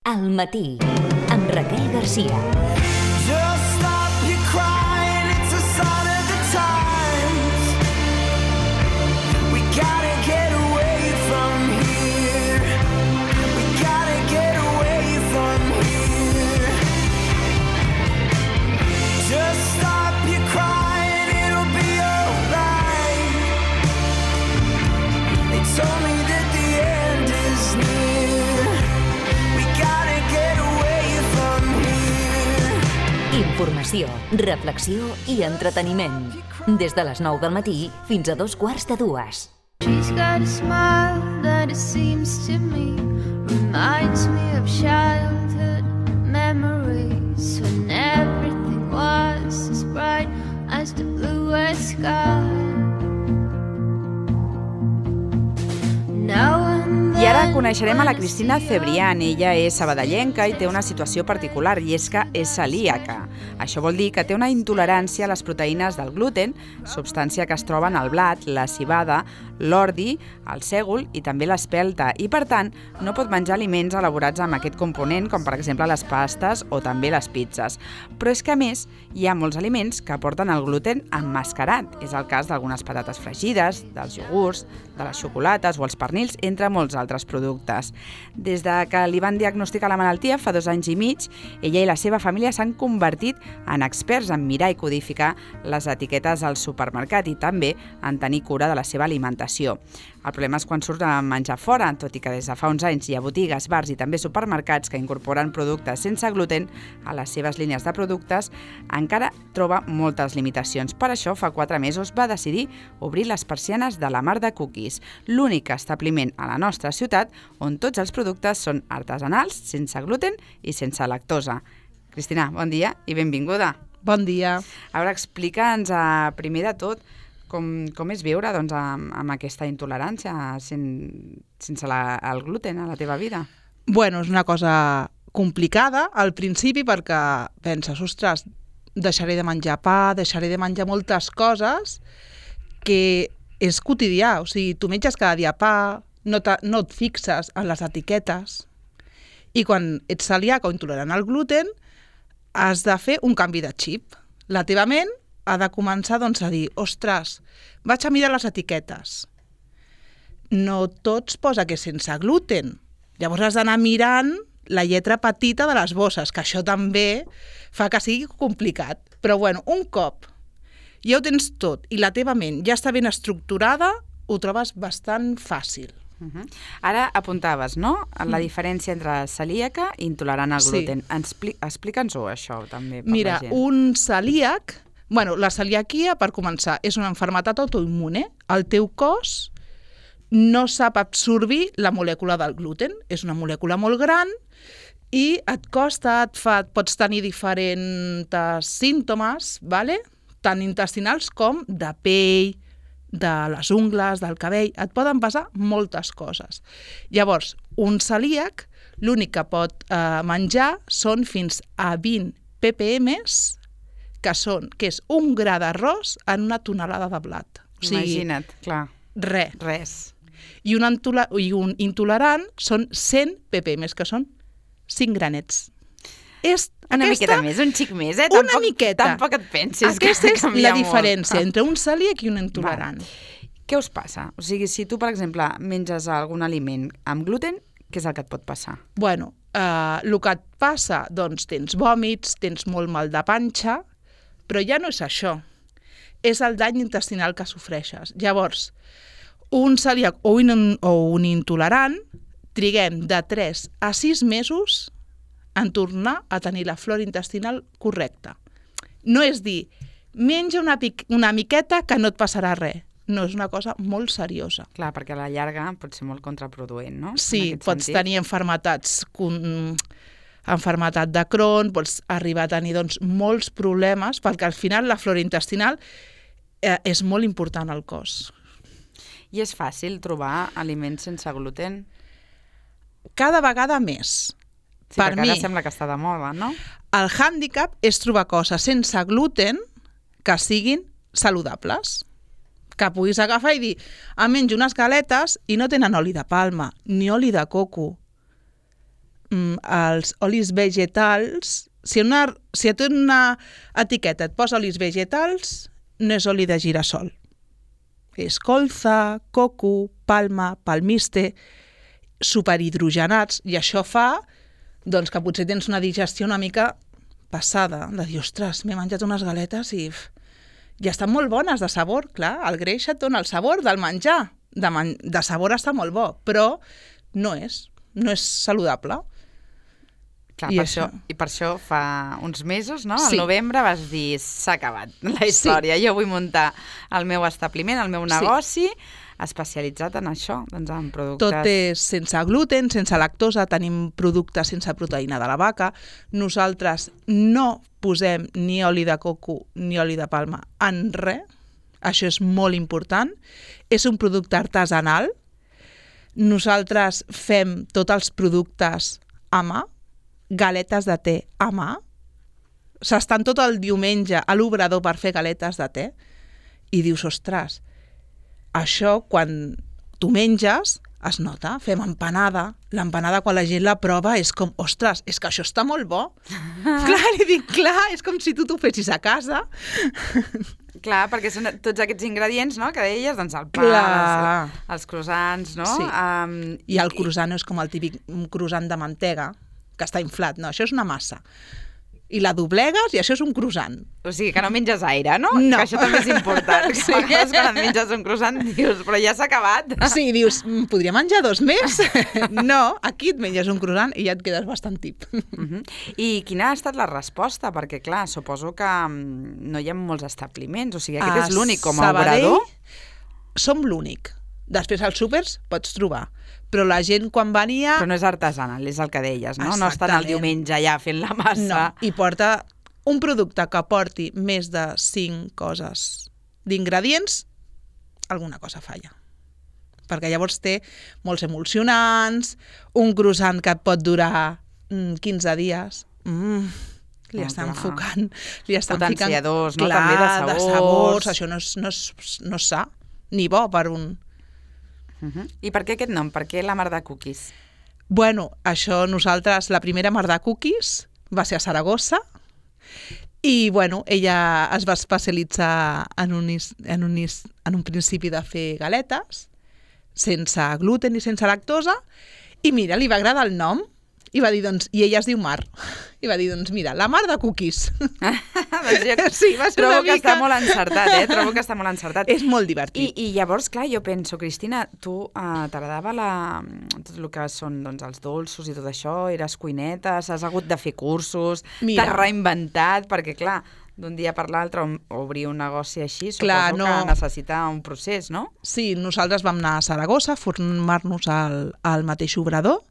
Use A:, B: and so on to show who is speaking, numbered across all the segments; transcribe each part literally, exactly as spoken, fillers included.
A: Al matí, amb Raquel Garcia. Informació, reflexió i entreteniment. Des de les nou del matí fins a dos quarts de dues.
B: She's got a smile that it seems to me reminds me of childhood memories when everything was as bright as the bluest sky.
C: I ara coneixerem a la Cristina Cebrián. Ella és sabadellenca i té una situació particular, i és que és celíaca. Això vol dir que té una intolerància a les proteïnes del gluten, substància que es troba en el blat, la civada, l'ordi, el sègol i també l'espelta, i per tant no pot menjar aliments elaborats amb aquest component, com per exemple les pastes o també les pizzas. Però és que a més hi ha molts aliments que porten el gluten emmascarat. És el cas d'algunes patates fregides, dels iogurts, de les xocolates o els pernils, entre molts altres productes. Des de que li van diagnosticar la malaltia fa dos anys i mig, ella i la seva família s'han convertit en experts en mirar i codificar les etiquetes al supermercat i també en tenir cura de la seva alimentació. El problema és quan surt a menjar fora, tot i que des de fa uns anys hi ha botigues, bars i també supermercats que incorporen productes sense gluten a les seves línies de productes, encara troba moltes limitacions. Per això, fa quatre mesos va decidir obrir les persianes de la Mar de Cookies, l'únic establiment a la nostra ciutat on tots els productes són artesanals, sense gluten i sense lactosa. Cristina, bon dia i benvinguda.
D: Bon dia.
C: A veure, explica'ns eh, primer de tot com, com és viure doncs, amb, amb aquesta intolerància sen, sense la, el gluten a la teva vida.
D: Bueno, és una cosa complicada al principi perquè penses, ostres, deixaré de menjar pa, deixaré de menjar moltes coses que és quotidià. O sigui, tu menges cada dia pa, no, no et fixes en les etiquetes i quan ets celíac o intolerant al gluten has de fer un canvi de xip. La teva ment ha de començar doncs, a dir, ostres, vaig a mirar les etiquetes. No tots posa que és sense gluten. Llavors has d'anar mirant la lletra petita de les bosses, que això també fa que sigui complicat. Però bueno, un cop ja ho tens tot i la teva ment ja està ben estructurada, ho trobes bastant fàcil.
C: Uh-huh. Ara apuntaves, no?, la diferència entre celíaca i intolerant al gluten. Sí. Explica'ns-ho, això, també, per
D: Mira,
C: la gent.
D: un celíac... Bueno, la celiaquia, per començar, és una malaltia autoimmune. El teu cos no sap absorbir la molècula del gluten. És una molècula molt gran i et costa, et fa, pots tenir diferents símptomes, vale? Tant intestinals com de pell, de les ungles, del cabell. Et poden passar moltes coses. Llavors, un celíac, l'únic que pot eh, menjar són fins a vint ppms, que són, que és un gra d'arròs en una tonelada de blat. O sigui,
C: imagina't, clar.
D: Res.
C: Res.
D: I un, intoler- i un intolerant són cent ppms, que són cinc granets. És
C: una
D: aquesta,
C: miqueta més, un xic més, eh?
D: Una
C: tampoc,
D: miqueta.
C: Tampoc et pensis
D: aquesta
C: que
D: és
C: canvia
D: la diferència
C: molt.
D: entre un celíac i un intolerant.
C: Va. Què us passa? O sigui, si tu, per exemple, menges algun aliment amb gluten, què és el que et pot passar?
D: Bueno, eh, el que et passa, doncs tens vòmits, tens molt mal de panxa, però ja no és això, és el dany intestinal que sofreixes. Llavors, un celíac o un, o un intolerant triguem de tres a sis mesos en tornar a tenir la flora intestinal correcta. No és dir, menja una, pic, una miqueta que no et passarà res. No, és una cosa molt seriosa.
C: Clar, perquè a la llarga pot ser molt contraproduent, no?
D: Sí, pots sentit. tenir enfermetats... Con... enfermetat de Crohn, pots arribar a tenir doncs, molts problemes, perquè al final la flora intestinal eh, és molt important al cos.
C: I és fàcil trobar aliments sense gluten?
D: Cada vegada més.
C: Sí, per perquè mi, ara sembla que està de moda, no?
D: El hàndicap és trobar coses sense gluten que siguin saludables. Que puguis agafar i dir, em menjo unes galetes i no tenen oli de palma, ni oli de coco. mm, els olis vegetals, si, una, si a tu en una etiqueta et posa olis vegetals, no és oli de girassol. És colza, coco, palma, palmiste, superhidrogenats, i això fa doncs, que potser tens una digestió una mica passada, de dir, ostres, m'he menjat unes galetes i, i estan molt bones de sabor, clar, el greix et dona el sabor del menjar, de, man de sabor està molt bo, però no és, no és saludable.
C: Clar,
D: I
C: per
D: això...
C: això, I per això fa uns mesos, no?
D: Sí.
C: Al novembre vas dir, s'ha acabat la història. Sí. Jo vull muntar el meu establiment, el meu negoci, sí. especialitzat en això, doncs en productes...
D: Tot és sense gluten, sense lactosa, tenim productes sense proteïna de la vaca. Nosaltres no posem ni oli de coco ni oli de palma en res. Això és molt important. És un producte artesanal. Nosaltres fem tots els productes a mà, galetes de te a mà. S'estan tot el diumenge a l'obrador per fer galetes de te i dius, ostres, això quan tu menges es nota, fem empanada. L'empanada quan la gent la prova és com, ostres, és que això està molt bo. Clar, li dic, clar, és com si tu t'ho fessis a casa.
C: Clar, perquè són tots aquests ingredients, no?, que deies, doncs el pa, els, els croissants, no?
D: Sí.
C: Um,
D: I el croissant no és com el típic croissant de mantega, que està inflat, no, això és una massa. I la doblegues i això és un croissant.
C: O sigui, que no menges aire, no?
D: No.
C: Que això també és important. Sí. A vegades quan et menges un croissant dius, però ja s'ha acabat.
D: Sí, dius, podria menjar dos més? No, aquí et menges un croissant i ja et quedes bastant tip.
C: Uh-huh. I quina ha estat la resposta? Perquè, clar, suposo que no hi ha molts establiments, o sigui, aquest
D: a
C: és l'únic com a
D: Sabadell
C: obrador?
D: Som l'únic. Després als súpers pots trobar. Però la gent quan venia...
C: Però no és artesanal, és el que deies, no? No estan el diumenge allà fent la massa.
D: No, i porta un producte que porti més de cinc coses d'ingredients, alguna cosa falla. Perquè llavors té molts emulsionants, un croissant que et pot durar mm, quinze dies. Mm, li
C: oh,
D: estan
C: clar.
D: enfocant... Li estan
C: Potenciadors,
D: ficant,
C: no?
D: Clar,
C: També de sabors.
D: de sabors. Això no és, no és, no és sa, ni bo per un...
C: Uh-huh. I per què aquest nom? Per què la mar de cookies?
D: Bueno, això nosaltres, la primera mar de cookies va ser a Saragossa i, bueno, ella es va especialitzar en un, en un, en un principi de fer galetes sense gluten i sense lactosa i, mira, li va agradar el nom i va dir, doncs, i ella es diu Mar. I va dir, doncs, mira, la mar de cookies.
C: Doncs jo
D: sí, va ser
C: trobo
D: una
C: que
D: mica...
C: està molt encertat, eh? Trobo que està molt encertat.
D: És molt divertit.
C: I, i llavors, clar, jo penso, Cristina, tu uh, t'agradava la... tot el que són doncs, els dolços i tot això, eres cuinetes, has hagut de fer cursos, t'has reinventat, perquè, clar, d'un dia per l'altre obrir un negoci així, suposo clar, no... que necessita un procés, no?
D: Sí, nosaltres vam anar a Saragossa a formar-nos al, al mateix obrador,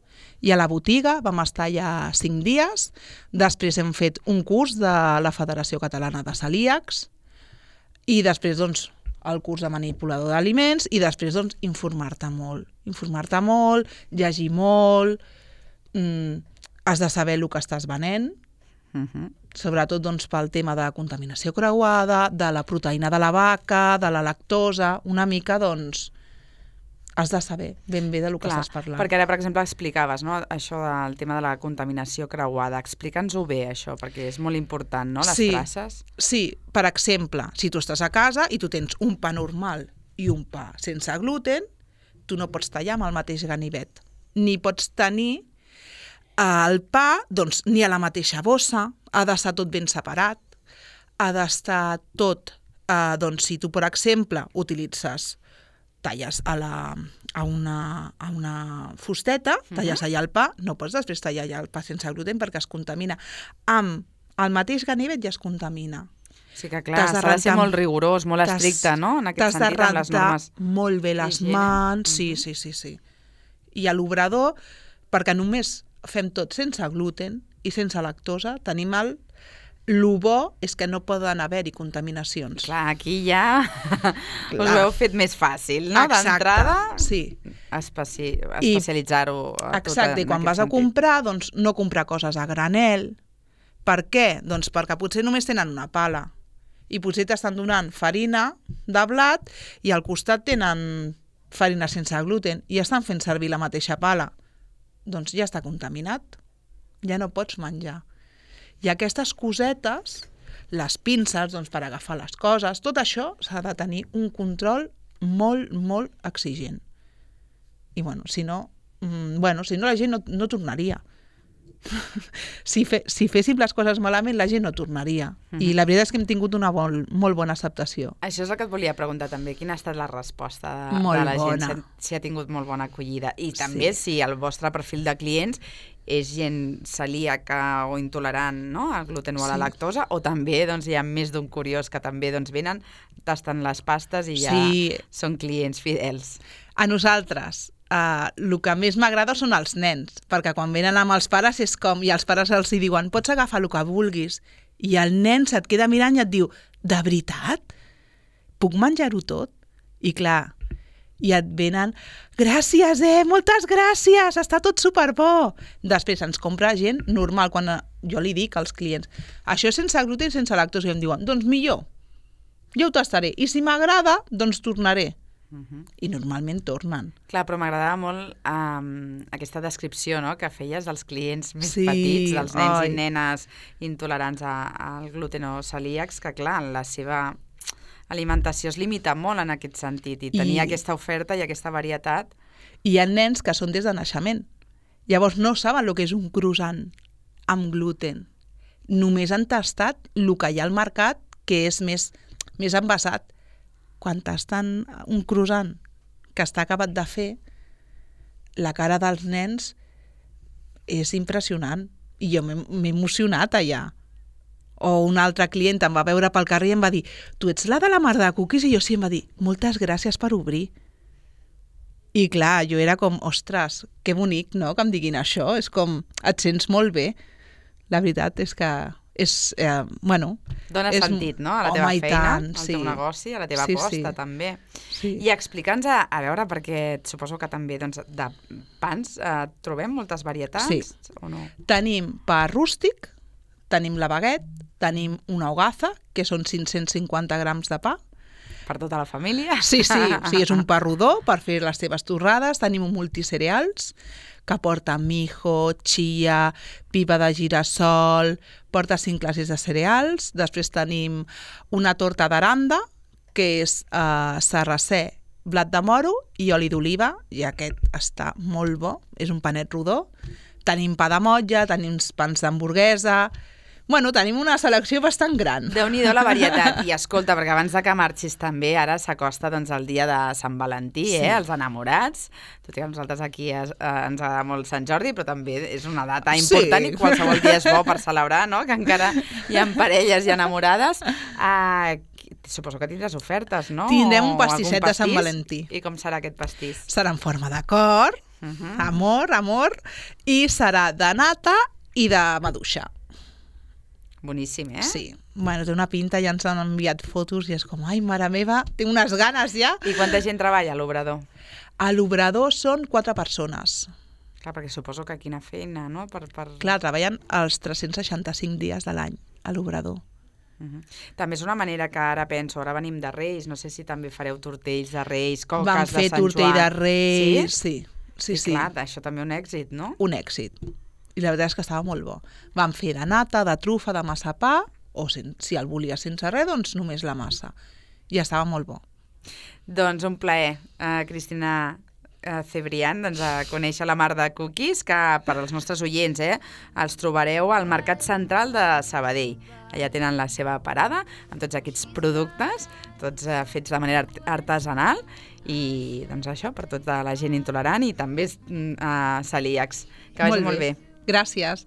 D: i a la botiga vam estar allà cinc dies, després hem fet un curs de la Federació Catalana de Celíacs i després doncs, el curs de manipulador d'aliments i després doncs, informar-te molt, informar-te molt, llegir molt, mm, has de saber el que estàs venent, uh-huh. sobretot doncs, pel tema de contaminació creuada, de la proteïna de la vaca, de la lactosa, una mica doncs, has de saber ben bé del que
C: Clar,
D: estàs parlant.
C: Perquè ara, per exemple, explicaves, no?, això del tema de la contaminació creuada. Explica'ns-ho bé, això, perquè és molt important, no?, les
D: sí,
C: traces.
D: Sí, per exemple, si tu estàs a casa i tu tens un pa normal i un pa sense gluten, tu no pots tallar amb el mateix ganivet. Ni pots tenir el pa, doncs, ni a la mateixa bossa, ha d'estar tot ben separat, ha d'estar tot, eh, doncs, si tu, per exemple, utilitzes talles a, la, a, una, a una fusteta, talles allà el pa, no pots després tallar allà el pa sense gluten perquè es contamina. Amb el mateix ganivet ja es contamina.
C: Sí que clar, s'ha de ser molt rigorós, molt estricte, no?, en aquest sentit, amb les normes.
D: T'has de rentar molt bé les mans, sí, sí, sí, sí. I a l'obrador, perquè només fem tot sense gluten i sense lactosa, tenim el el bo és que no poden haver-hi contaminacions.
C: Clar, aquí ja Clar. us ho heu fet més fàcil, no? D'entrada,
D: sí.
C: especi especialitzar-ho a tot.
D: Exacte, i quan vas
C: sentit.
D: a comprar, doncs no comprar coses a granel. Per què? Doncs perquè potser només tenen una pala i potser t'estan donant farina de blat i al costat tenen farina sense gluten i estan fent servir la mateixa pala. Doncs ja està contaminat. ja no pots menjar. I aquestes cosetes, les pinces doncs, per agafar les coses, tot això s'ha de tenir un control molt, molt exigent. I bueno, si no, mm, bueno, si no la gent no, no tornaria. si, fe, si féssim les coses malament, la gent no tornaria. Mm-hmm. I la veritat és que hem tingut una bon, molt bona acceptació.
C: Això és el que et volia preguntar també. Quina ha estat la resposta de,
D: molt
C: de la
D: bona.
C: gent? Si, si ha tingut molt bona acollida. I també sí. si el vostre perfil de clients és gent celíaca o intolerant, no?, al gluten o a la
D: sí.
C: lactosa, o també doncs, hi ha més d'un curiós que també doncs, venen, tasten les pastes i ja
D: sí.
C: són clients fidels.
D: A nosaltres, Uh, el que més m'agrada són els nens, perquè quan venen amb els pares és com, i els pares els hi diuen, pots agafar el que vulguis, i el nen se't queda mirant i et diu, de veritat? Puc menjar-ho tot? I clar, i et venen, gràcies, eh, moltes gràcies, està tot superbo. Després ens compra gent normal, quan jo li dic als clients, això és sense gluten i sense lactosa, i em diuen, doncs millor, jo ho tastaré, i si m'agrada, doncs tornaré. Uh-huh. I normalment tornen.
C: Clar, però m'agradava molt um, aquesta descripció, no?, que feies dels clients més
D: sí,
C: petits, dels nens
D: ai.
C: i nenes intolerants a, al gluten o celíacs, que clar, la seva alimentació es limita molt en aquest sentit i tenir I... aquesta oferta i aquesta varietat.
D: I hi ha nens que són des de naixement. Llavors no saben el que és un croissant amb gluten. Només han tastat el que hi ha al mercat, que és més, més envasat. Quan tasten un croissant que està acabat de fer, la cara dels nens és impressionant. I jo m'he emocionat allà. O un altre client em va veure pel carrer i em va dir, tu ets la de la mar de cookies? I jo sí em va dir, moltes gràcies per obrir. I clar, jo era com, ostres, que bonic, no?, que em diguin això. És com, et sents molt bé. La veritat és que... és, eh, bueno...
C: Dóna
D: és,
C: sentit, no?, a la teva
D: home,
C: feina,
D: tant,
C: al
D: sí.
C: teu negoci, a la teva
D: sí,
C: aposta,
D: sí.
C: també.
D: Sí.
C: I explica'ns, a, a veure, perquè suposo que també doncs, de pans eh, trobem moltes varietats,
D: sí.
C: o no?
D: Tenim pa rústic, tenim la baguette, tenim una hogaza, que són cinc-cents cinquanta grams de pa.
C: Per tota la família?
D: Sí, sí, sí, és un pa rodó per fer les teves torrades. Tenim un multicereals que porta mijo, chia, pipa de girassol, porta cinc classes de cereals. Després tenim una torta d'aranda, que és eh, sarracè, blat de moro i oli d'oliva, i aquest està molt bo, és un panet rodó. Tenim pa de motlla, tenim pans d'hamburguesa... Bueno, tenim una selecció bastant gran.
C: Déu-n'hi-do la varietat. I escolta, perquè abans de que marxis també, ara s'acosta doncs, el dia de Sant Valentí, sí. eh, els enamorats. Tot i que nosaltres aquí es, eh, ens agrada molt Sant Jordi, però també és una data important sí. i qualsevol dia és bo per celebrar, no?, que encara hi ha parelles i enamorades. Uh, suposo que tindràs ofertes, no?
D: Tindrem un pastisset de Sant Valentí.
C: I com serà aquest pastís?
D: Serà en forma de cor, uh-huh. amor, amor, i serà de nata i de maduixa.
C: Boníssim, eh?
D: Sí. Bueno, té una pinta, ja ens han enviat fotos i és com, ai, mare meva, tinc unes ganes ja.
C: I quanta gent treballa a l'obrador?
D: A l'obrador són quatre persones.
C: Clar, perquè suposo que quina feina, no? Per, per...
D: Clar, treballen els tres-cents seixanta-cinc dies de l'any a l'obrador.
C: Uh-huh. També és una manera que ara penso, ara venim de Reis, no sé si també fareu tortells de Reis, coques
D: Vam
C: de Sant Joan.
D: fer tortell de Reis, sí? Sí, sí,
C: I clar,
D: sí.
C: això també un èxit, no?
D: Un èxit. I la veritat és que estava molt bo. Vam fer de nata, de trufa, de massapà, o sen, si el volies sense res, doncs només la massa. I estava molt bo.
C: Doncs un plaer, uh, Cristina uh, Cebrián, doncs, a conèixer la mar de cookies, que per als nostres oients eh, els trobareu al Mercat Central de Sabadell. Allà tenen la seva parada amb tots aquests productes, tots uh, fets de manera artesanal, i doncs això, per tota la gent intolerant i també uh, celíacs. Que vagi molt bé.
D: Gràcies.